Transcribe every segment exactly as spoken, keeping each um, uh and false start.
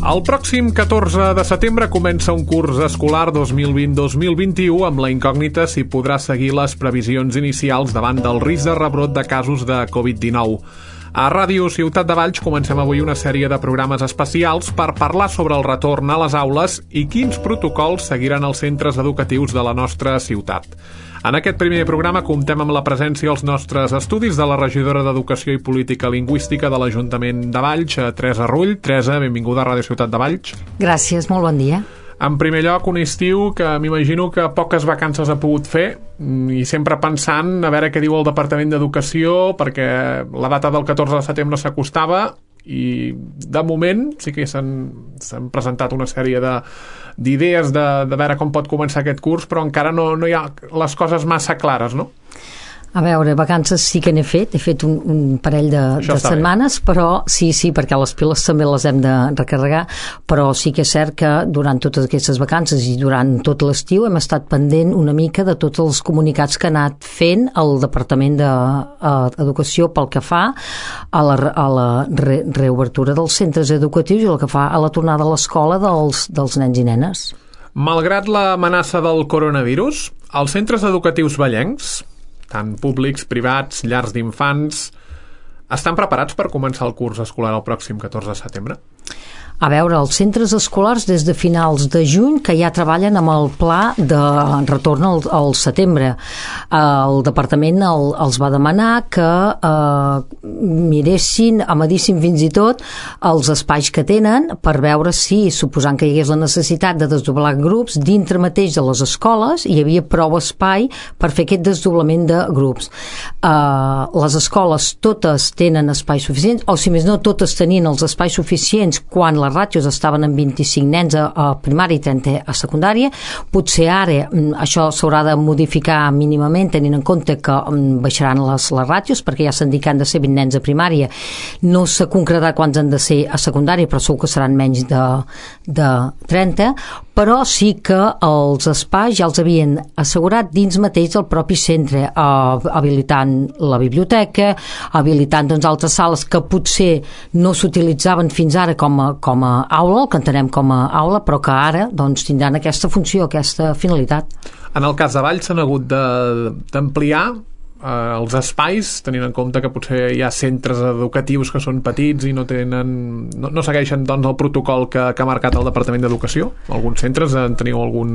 El pròxim catorze de setembre comença un curs escolar dos mil vint dos mil vint-i-u amb la incògnita si podrà seguir les previsions inicials davant del risc de rebrot de casos de covid dinou. A Ràdio Ciutat de Valls comencem avui una sèrie de programes especials per parlar sobre el retorn a les aules i quins protocols seguiran els centres educatius de la nostra ciutat. En aquest primer programa comptem amb la presència als nostres estudis de la regidora d'Educació i Política Lingüística de l'Ajuntament de Valls, Teresa Rull. Teresa, benvinguda a Ràdio Ciutat de Valls. Gràcies, molt bon dia. En primer lloc, un estiu que m'imagino que poques vacances ha pogut fer i sempre pensant a veure què diu el Departament d'Educació, perquè la data del catorze de setembre s'acostava i de moment sí que s'han presentat una sèrie de d'idees de, de veure com pot començar aquest curs, però encara no, no hi ha les coses massa clares, no? A veure, vacances sí que n'he fet, he fet un, un parell de, de setmanes, bé. Però sí, sí, perquè les piles també les hem de recarregar, però sí que és cert que durant totes aquestes vacances i durant tot l'estiu hem estat pendent una mica de tots els comunicats que ha anat fent el Departament d'Educació pel que fa a la, a la re, reobertura dels centres educatius i el que fa a la tornada a l'escola dels, dels nens i nenes. Malgrat l'amenaça del coronavirus, els centres educatius vallencs, tant públics, privats, llars d'infants, estan preparats per començar el curs escolar el pròxim catorze de setembre? A veure, els centres escolars des de finals de juny que ja treballen amb el pla de retorn al, al setembre. El departament el, els va demanar que eh, miressin, amedissin fins i tot els espais que tenen per veure si, suposant que hi hagués la necessitat de desdoblar grups, dintre mateix de les escoles hi havia prou espai per fer aquest desdoblament de grups. Eh, les escoles totes tenen espais suficients, o si més no, totes tenien els espais suficients quan la ràtios estaven en vint-i-cinc nens a, a primària i trenta a secundària. Potser ara això s'haurà de modificar mínimament tenint en compte que baixaran les, les ràtios perquè ja s'han dit que han de ser vint nens a primària. No s'ha concretat quants han de ser a secundària, però segur que seran menys de, de trenta, però sí que els espais ja els havien assegurat dins mateix del propi centre, eh, habilitant la biblioteca, habilitant doncs, altres sales que potser no s'utilitzaven fins ara com a, com a aula, el que entenem com a aula, però que ara doncs, tindran aquesta funció, aquesta finalitat. En el cas de Valls s'han hagut d'ampliar eh, els espais, tenint en compte que potser hi ha centres educatius que són petits i no tenen no, no segueixen doncs, el protocol que, que ha marcat el Departament d'Educació. Alguns centres en teniu algun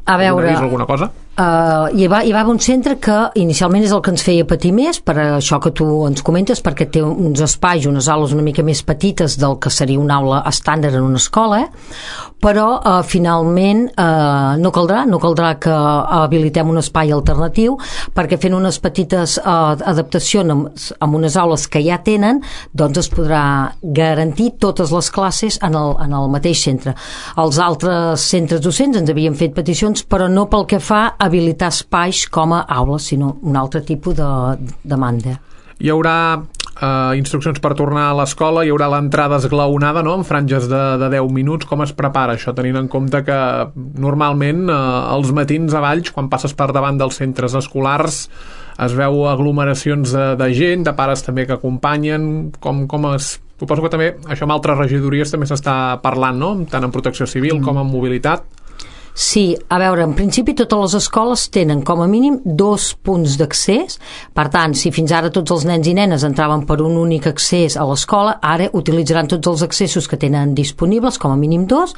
a veure, avís, alguna cosa? Uh, hi, va, hi va un centre que inicialment és el que ens feia patir més per això que tu ens comentes, perquè té uns espais, unes aules una mica més petites del que seria una aula estàndard en una escola, però uh, finalment uh, no caldrà, no caldrà que habilitem un espai alternatiu, perquè fent unes petites uh, adaptacions amb, amb unes aules que ja tenen, doncs es podrà garantir totes les classes en el, en el mateix centre. Els altres centres docents ens havien fet peticions, però no pel que fa a habilitar espais com a aules, sinó un altre tipus de demanda. Hi haurà eh, instruccions per tornar a l'escola, hi haurà l'entrada esglaonada, no?, en franges de, de deu minuts. Com es prepara això, tenint en compte que normalment eh, els matins a Valls, quan passes per davant dels centres escolars, es veu aglomeracions de, de gent, de pares també que acompanyen, com, com es... Suposo que també això amb altres regidories també s'està parlant, no?, tant en protecció civil mm. com en mobilitat. Sí, a veure, en principi totes les escoles tenen com a mínim dos punts d'accés. Per tant, si fins ara tots els nens i nenes entraven per un únic accés a l'escola, ara utilitzaran tots els accessos que tenen disponibles, com a mínim dos,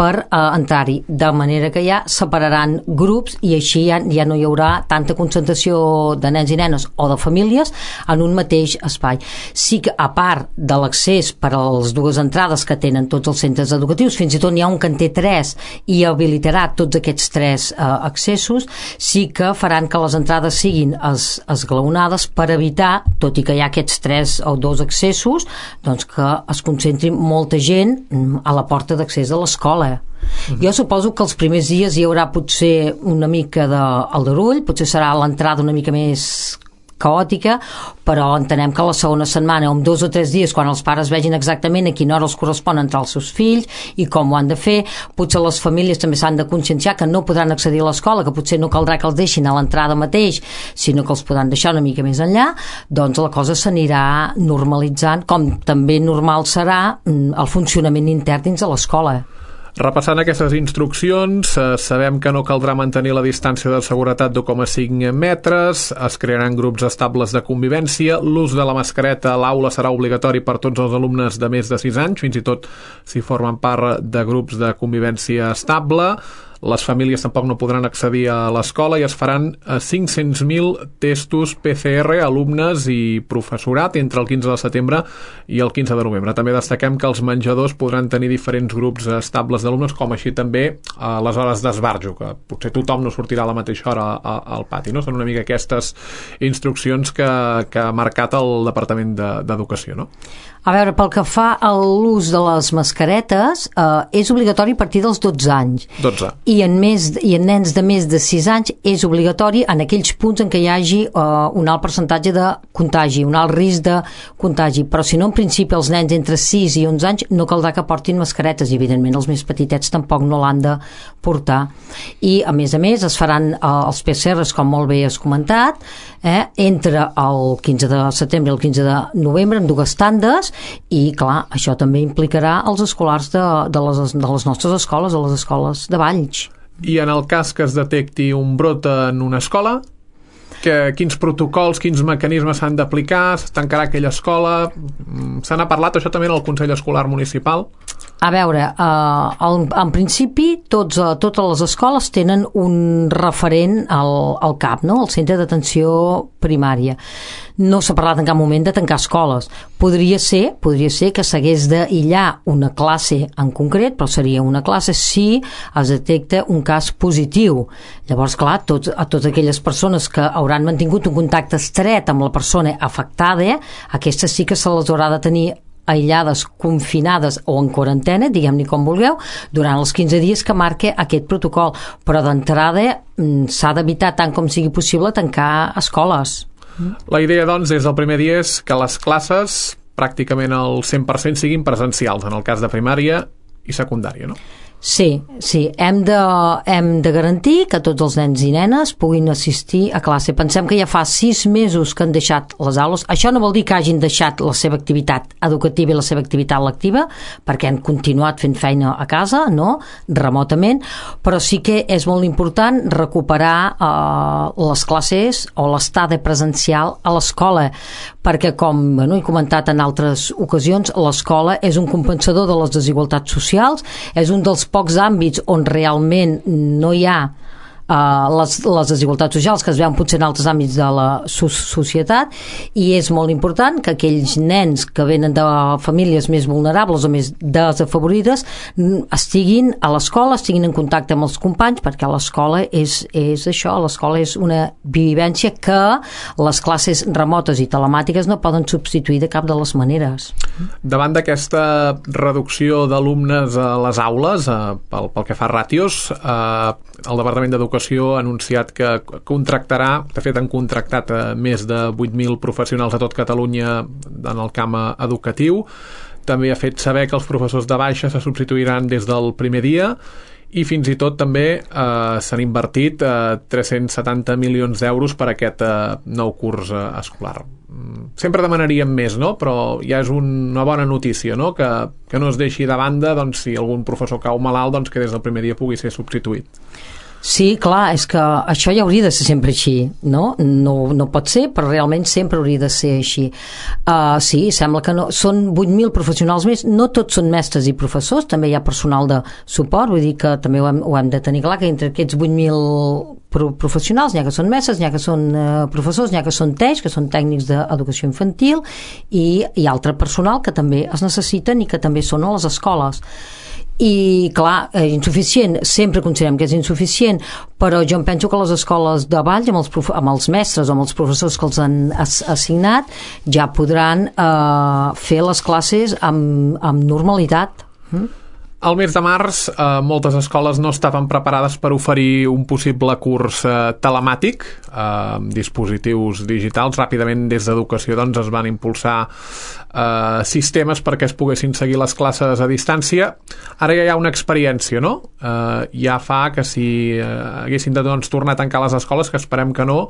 per eh, entrar-hi, de manera que ja separaran grups i així ja, ja no hi haurà tanta concentració de nens i nenes o de famílies en un mateix espai. Sí que, a part de l'accés per a les dues entrades que tenen tots els centres educatius, fins i tot n'hi ha un que en té tres i habilitarà tots aquests tres eh, accessos, sí que faran que les entrades siguin es, esglaonades per evitar, tot i que hi ha aquests tres o dos accessos, doncs que es concentri molta gent a la porta d'accés de l'escola. Uh-huh. Jo suposo que els primers dies hi haurà potser una mica d'aldarull, potser serà l'entrada una mica més caòtica, però entenem que la segona setmana, o en dos o tres dies, quan els pares vegin exactament a quina hora els correspon entrar els seus fills i com ho han de fer, potser les famílies també s'han de conscienciar que no podran accedir a l'escola, que potser no caldrà que els deixin a l'entrada mateix, sinó que els podran deixar una mica més enllà, doncs la cosa s'anirà normalitzant, com també normal serà el funcionament intern dins de l'escola. Repassant aquestes instruccions, eh, sabem que no caldrà mantenir la distància de seguretat d'u coma cinc metres, es crearan grups estables de convivència, l'ús de la mascareta a l'aula serà obligatori per tots els alumnes de més de sis anys, fins i tot si formen part de grups de convivència estable. Les famílies tampoc no podran accedir a l'escola i es faran cinc-cents mil testos P C R a alumnes i professorat entre el quinze de setembre i el quinze de novembre. També destaquem que els menjadors podran tenir diferents grups estables d'alumnes, com així també a les hores d'esbarjo, que potser tothom no sortirà a la mateixa hora al pati. No? Són una mica aquestes instruccions que, que ha marcat el Departament d'Educació, no? A veure, pel que fa a l'ús de les mascaretes, eh, és obligatori a partir dels dotze anys. dotze. I en, més, i en nens de més de sis anys és obligatori en aquells punts en què hi hagi eh, un alt percentatge de contagi, un alt risc de contagi. Però si no, en principi, els nens entre sis i onze anys no caldrà que portin mascaretes i, evidentment, els més petitets tampoc no l'han de portar. I, a més a més, es faran eh, els P C Rs, com molt bé has comentat, eh, entre el quinze de setembre i el quinze de novembre, en dues tandes, i clar, això també implicarà els escolars de, de, les, de les nostres escoles, de les escoles de Valls. I en el cas que es detecti un brot en una escola, que, quins protocols, quins mecanismes s'han d'aplicar, es tancarà aquella escola? Se n'ha parlat això també en el Consell Escolar Municipal? A veure, eh, en, en principi tots, eh, totes les escoles tenen un referent al, al C A P, no? Al Centre d'Atenció Primària. No s'ha parlat en cap moment de tancar escoles. Podria ser, podria ser que s'hagués d'aïllar una classe en concret, però seria una classe si es detecta un cas positiu. Llavors, clar, tots, a totes aquelles persones que hauran mantingut un contacte estret amb la persona afectada, aquestes sí que se les haurà de tenir aïllades, confinades o en quarantena, diguem-ne com vulgueu, durant els quinze dies que marca aquest protocol. Però d'entrada s'ha d'evitar tant com sigui possible tancar escoles. La idea, doncs, des del primer dia és que les classes pràcticament el cent per cent siguin presencials, en el cas de primària i secundària, no? Sí, sí, hem de, hem de garantir que tots els nens i nenes puguin assistir a classe. Pensem que ja fa sis mesos que han deixat les aules. Això no vol dir que hagin deixat la seva activitat educativa i la seva activitat lectiva, perquè han continuat fent feina a casa, no?, remotament, però sí que és molt important recuperar eh, les classes o l'estada presencial a l'escola, perquè, com bueno, he comentat en altres ocasions, l'escola és un compensador de les desigualtats socials, és un dels pocs àmbits on realment no hi ha Uh, les, les desigualtats socials que es veuen potser en altres àmbits de la so societat, i és molt important que aquells nens que venen de famílies més vulnerables o més desafavorides estiguin a l'escola, estiguin en contacte amb els companys, perquè l'escola és, és això, l'escola és una vivència que les classes remotes i telemàtiques no poden substituir de cap de les maneres. Davant d'aquesta reducció d'alumnes a les aules, eh, pel, pel que fa a ràtios, eh, el Departament d'Educació ha anunciat que contractarà, de fet han contractat a més de vuit mil professionals a tot Catalunya en el camp educatiu. També ha fet saber que els professors de baixa se substituiran des del primer dia, i fins i tot també eh, s'han invertit eh, tres-cents setanta milions d'euros per aquest eh, nou curs eh, escolar. Sempre demanaríem més, no? Però ja és una bona notícia, no? Que, que no es deixi de banda, doncs, si algun professor cau malalt, doncs que des del primer dia pugui ser substituït. Sí, clar, és que això ja hauria de ser sempre així, no? No, no pot ser, però realment sempre hauria de ser així. Uh, sí, sembla que no. Són vuit mil professionals més, no tots són mestres i professors, també hi ha personal de suport, vull dir que també ho hem, ho hem de tenir clar, que entre aquests vuit mil professionals n'hi ha que són mestres, n'hi ha que són uh, professors, n'hi ha que són teix, que són tècnics d'educació infantil, i hi ha altre personal que també es necessiten i que també són a les escoles. I clar, és insuficient, sempre considerem que és insuficient, però jo em penso que les escoles de Valls, amb els, amb els mestres o amb els professors que els han assignat, ja podran eh, fer les classes amb, amb normalitat. Mm? Al mes de març, eh, moltes escoles no estaven preparades per oferir un possible curs eh, telemàtic eh, amb dispositius digitals. Ràpidament, des d'Educació, doncs, es van impulsar eh, sistemes perquè es poguessin seguir les classes a distància. Ara ja hi ha una experiència, no? Eh, ja fa que si eh, haguessin de doncs, tornar a tancar les escoles, que esperem que no,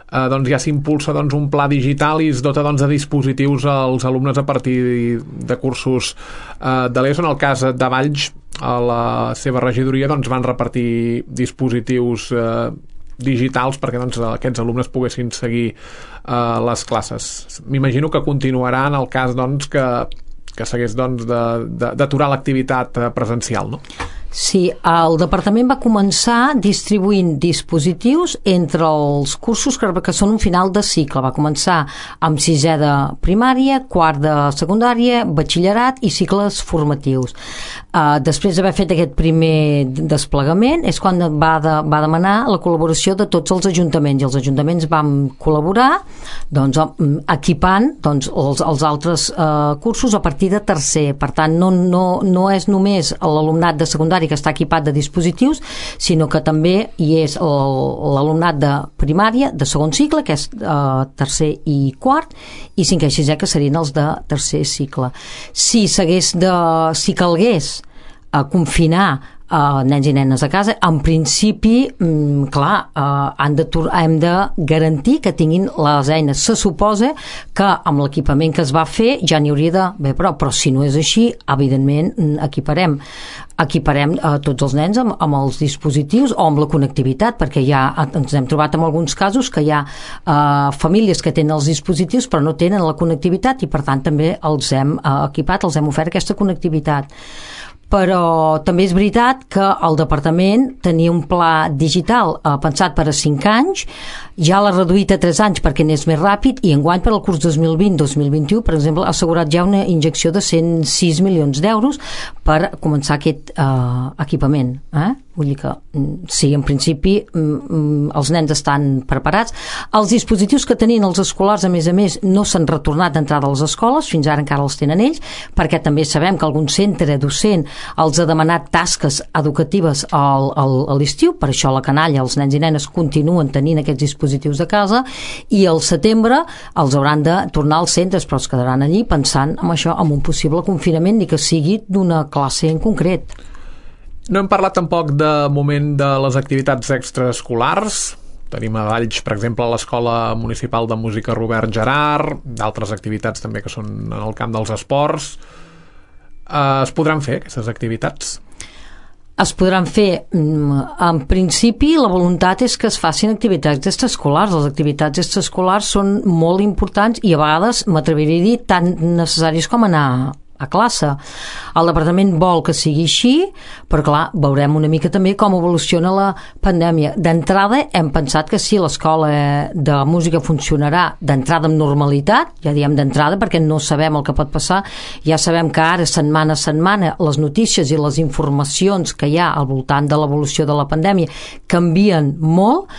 Eh, doncs ja s'impulsa doncs, un pla digital i es dota doncs, de dispositius als alumnes a partir de cursos eh, de l'ESO. En el cas de Valls, a la seva regidoria doncs, van repartir dispositius eh, digitals perquè doncs, aquests alumnes poguessin seguir eh, les classes. M'imagino que continuarà en el cas doncs, que, que s'hagués doncs, d'aturar l'activitat presencial, no? Sí, el departament va començar distribuint dispositius entre els cursos que, que són un final de cicle. Va començar amb sisè de primària, quart de secundària, batxillerat i cicles formatius. Uh, després d'haver fet aquest primer desplegament és quan va, de, va demanar la col·laboració de tots els ajuntaments, i els ajuntaments vam col·laborar doncs, equipant doncs, els, els altres uh, cursos a partir de tercer. Per tant, no, no, no és només l'alumnat de secundària que està equipat de dispositius, sinó que també hi és l'alumnat de primària, de segon cicle, que és eh, tercer i quart, i cinquè i sisè, que serien els de tercer cicle. Si s'hagués de, si calgués eh, confinar Uh, nens i nenes a casa, en principi mm, clar, uh, han de, hem de garantir que tinguin les eines. Se suposa que amb l'equipament que es va fer ja n'hi hauria d'haver prou, però si no és així, evidentment equiparem equiparem uh, tots els nens amb, amb els dispositius o amb la connectivitat, perquè ja ens hem trobat en alguns casos que hi ha uh, famílies que tenen els dispositius però no tenen la connectivitat, i per tant també els hem uh, equipat, els hem ofert aquesta connectivitat. Però també és veritat que el departament tenia un pla digital eh, pensat per a cinc anys, ja l'ha reduït a tres anys perquè n'és més ràpid, i enguany per al curs dos mil vint dos mil vint u, per exemple, ha assegurat ja una injecció de cent sis milions d'euros per començar aquest eh, equipament. Eh? Vull dir que sí, en principi els nens estan preparats. Els dispositius que tenien els escolars, a més a més, no s'han retornat d'entrada a les escoles, fins ara encara els tenen ells, perquè també sabem que algun centre docent els ha demanat tasques educatives al, al, a l'estiu, per això la canalla, els nens i nenes continuen tenint aquests dispositius de casa, i al setembre els hauran de tornar als centres, però es quedaran allí pensant en això, en un possible confinament, ni que sigui d'una classe en concret. No hem parlat tampoc de moment de les activitats extraescolars. Tenim a Valls, per exemple, a l'Escola Municipal de Música Robert Gerard, d'altres activitats també que són en el camp dels esports. Eh, es podran fer aquestes activitats? Es podran fer. En principi, la voluntat és que es facin activitats extraescolars. Les activitats extraescolars són molt importants i a vegades, m'atreviria a dir, tan necessàries com anar a classe. El departament vol que sigui així, però clar, veurem una mica també com evoluciona la pandèmia. D'entrada hem pensat que sí, l'escola de música funcionarà d'entrada amb normalitat, ja diem d'entrada perquè no sabem el que pot passar. Ja sabem que ara, setmana a setmana, les notícies i les informacions que hi ha al voltant de l'evolució de la pandèmia canvien molt.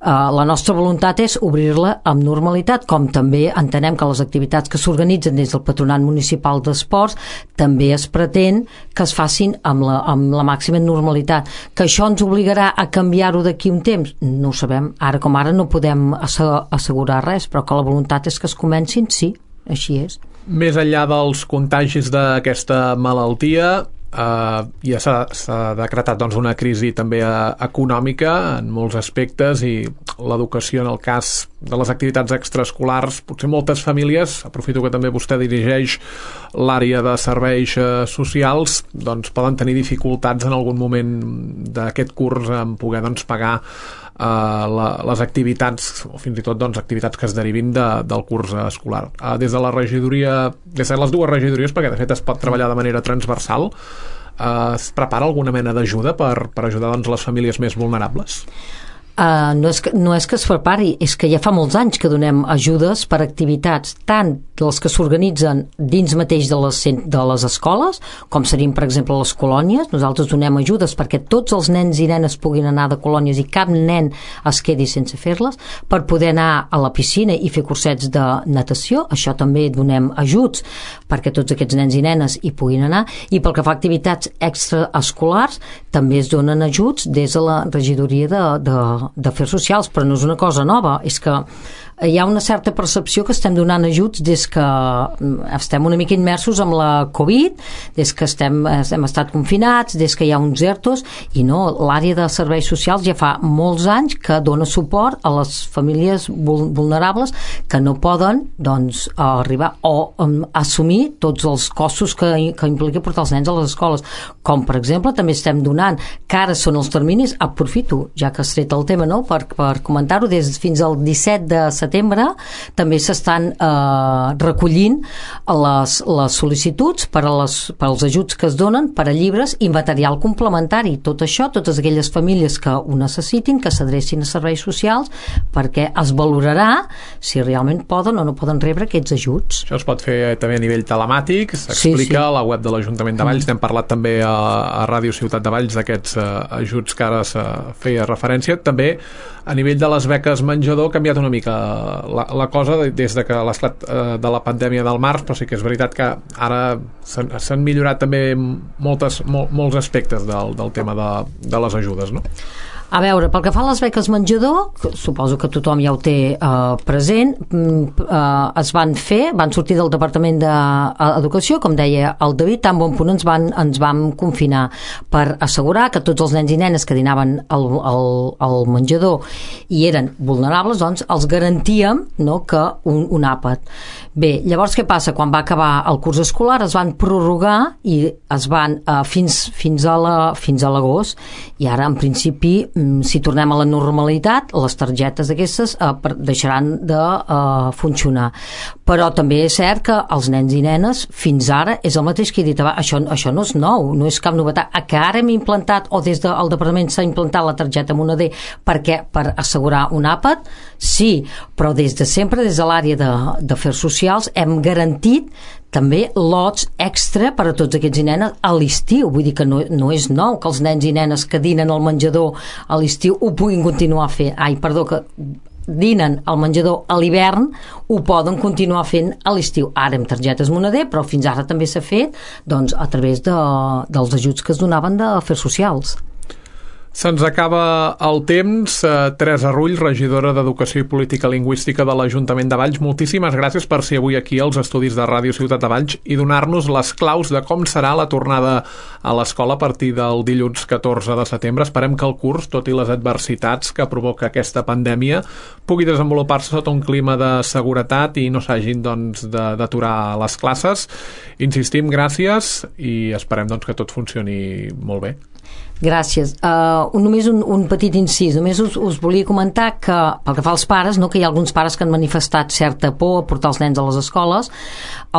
Uh, la nostra voluntat és obrir-la amb normalitat, com també entenem que les activitats que s'organitzen des del Patronat Municipal d'Esports també es pretén que es facin amb la, amb la màxima normalitat. Que això ens obligarà a canviar-ho d'aquí un temps? No ho sabem. Ara com ara no podem assegurar res, però que la voluntat és que es comencin, sí, així és. Més enllà dels contagis d'aquesta malaltia, Uh, ja s'ha decretat doncs, una crisi també uh, econòmica en molts aspectes, i l'educació, en el cas de les activitats extraescolars, potser moltes famílies, aprofito que també vostè dirigeix l'àrea de serveis uh, socials, doncs poden tenir dificultats en algun moment d'aquest curs en poder doncs, pagar Uh, la, les activitats, o fins i tot doncs, activitats que es derivin de, del curs escolar. Uh, des de la regidoria, des de les dues regidories, perquè de fet es pot treballar de manera transversal, uh, es prepara alguna mena d'ajuda per, per ajudar doncs, les famílies més vulnerables? Uh, no, és que, no és que es prepari, és que ja fa molts anys que donem ajudes per activitats, tant les que s'organitzen dins mateix de les, de les escoles, com serien, per exemple, les colònies. Nosaltres donem ajudes perquè tots els nens i nenes puguin anar de colònies i cap nen es quedi sense fer-les, per poder anar a la piscina i fer cursets de natació. Això també donem ajuts perquè tots aquests nens i nenes hi puguin anar, i pel que fa a activitats extraescolars també es donen ajuts des de la regidoria de, de d'Afers Socials, però no és una cosa nova, és que hi ha una certa percepció que estem donant ajuts des que estem una mica immersos amb la Covid, des que estem, hem estat confinats, des que hi ha uns ERTOs, i no, l'àrea de serveis socials ja fa molts anys que dona suport a les famílies vulnerables que no poden, doncs, arribar o um, assumir tots els costos que, que implica portar els nens a les escoles, com per exemple també estem donant, que ara són els terminis, aprofito, ja que has tret el tema, no? per, per comentar-ho, des fins al disset de setembre també s'estan eh, recollint les, les sol·licituds per, a les, per als ajuts que es donen per a llibres i material complementari. Tot això, totes aquelles famílies que ho necessitin, que s'adrecin a serveis socials, perquè es valorarà si realment poden o no poden rebre aquests ajuts. Això es pot fer també a nivell telemàtic, s'explica sí, sí. a la web de l'Ajuntament de Valls. Mm. N'hem parlat també a, a Ràdio Ciutat de Valls d'aquests uh, ajuts que ara se feia referència. També a nivell de les beques menjador ha canviat una mica la, la cosa des de que l'esclat eh, de la pandèmia del març, però sí que és veritat que ara s'han millorat també moltes, mol, molts aspectes del, del tema de, de les ajudes, no? A veure, pel que fa a les beques menjador, suposo que tothom ja ho té eh, present, eh, es van fer, van sortir del Departament d'Educació, com deia el David, tan bon punt ens van, ens vam confinar per assegurar que tots els nens i nenes que dinaven al, al, al menjador i eren vulnerables, doncs els garantíem, no, que un, un àpat. Bé, llavors què passa? Quan va acabar el curs escolar es van prorrogar i es van eh, fins, fins a la, fins a l'agost, i ara en principi si tornem a la normalitat, les targetes aquestes eh, deixaran de eh, funcionar. Però també és cert que els nens i nenes fins ara és el mateix que he dit abans. Això, això no és nou, no és cap novetat. A que ara hem implantat, o des del departament s'ha implantat la targeta Moneder perquè per assegurar un àpat, sí, però des de sempre, des de l'àrea d'Afers Socials, hem garantit també lots extra per a tots aquests nenes a l'estiu. Vull dir que no, no és nou que els nens i nenes que dinen al menjador a l'estiu ho puguin continuar fent. Ai, perdó, que dinen al menjador a l'hivern ho poden continuar fent a l'estiu. Ara amb targetes Moneder, però fins ara també s'ha fet doncs, a través de, dels ajuts que es donaven d'Afers Socials. Se'ns acaba el temps. Teresa Rull, regidora d'Educació i Política Lingüística de l'Ajuntament de Valls, moltíssimes gràcies per ser avui aquí als estudis de Ràdio Ciutat de Valls i donar-nos les claus de com serà la tornada a l'escola a partir del dilluns catorze de setembre. Esperem que el curs, tot i les adversitats que provoca aquesta pandèmia, pugui desenvolupar-se sota un clima de seguretat i no s'hagin doncs, d'aturar les classes. Insistim, gràcies, i esperem doncs, que tot funcioni molt bé. Gràcies. Uh, només un, un petit incís. Només us, us volia comentar que, pel que fa als pares, no, que hi ha alguns pares que han manifestat certa por a portar els nens a les escoles,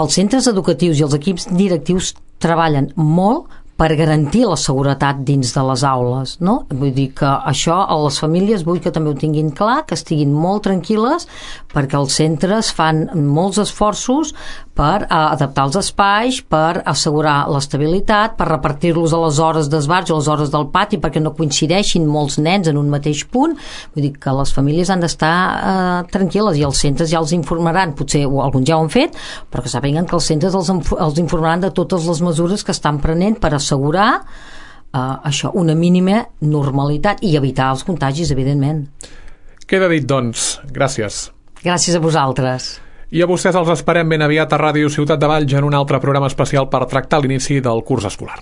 els centres educatius i els equips directius treballen molt per garantir la seguretat dins de les aules, no? Vull dir que això a les famílies vull que també ho tinguin clar, que estiguin molt tranquil·les, perquè els centres fan molts esforços per adaptar els espais, per assegurar l'estabilitat, per repartir-los a les hores d'esbarjo, a les hores del pati, perquè no coincideixin molts nens en un mateix punt. Vull dir que les famílies han d'estar eh, tranquil·les, i els centres ja els informaran, potser alguns ja ho han fet, però que sàpiguen que els centres els, els informaran de totes les mesures que estan prenent per assegurar eh, això, una mínima normalitat i evitar els contagis, evidentment. Queda dit, doncs. Gràcies. Gràcies a vosaltres. I a vostès els esperem ben aviat a Ràdio Ciutat de Valls en un altre programa especial per tractar l'inici del curs escolar.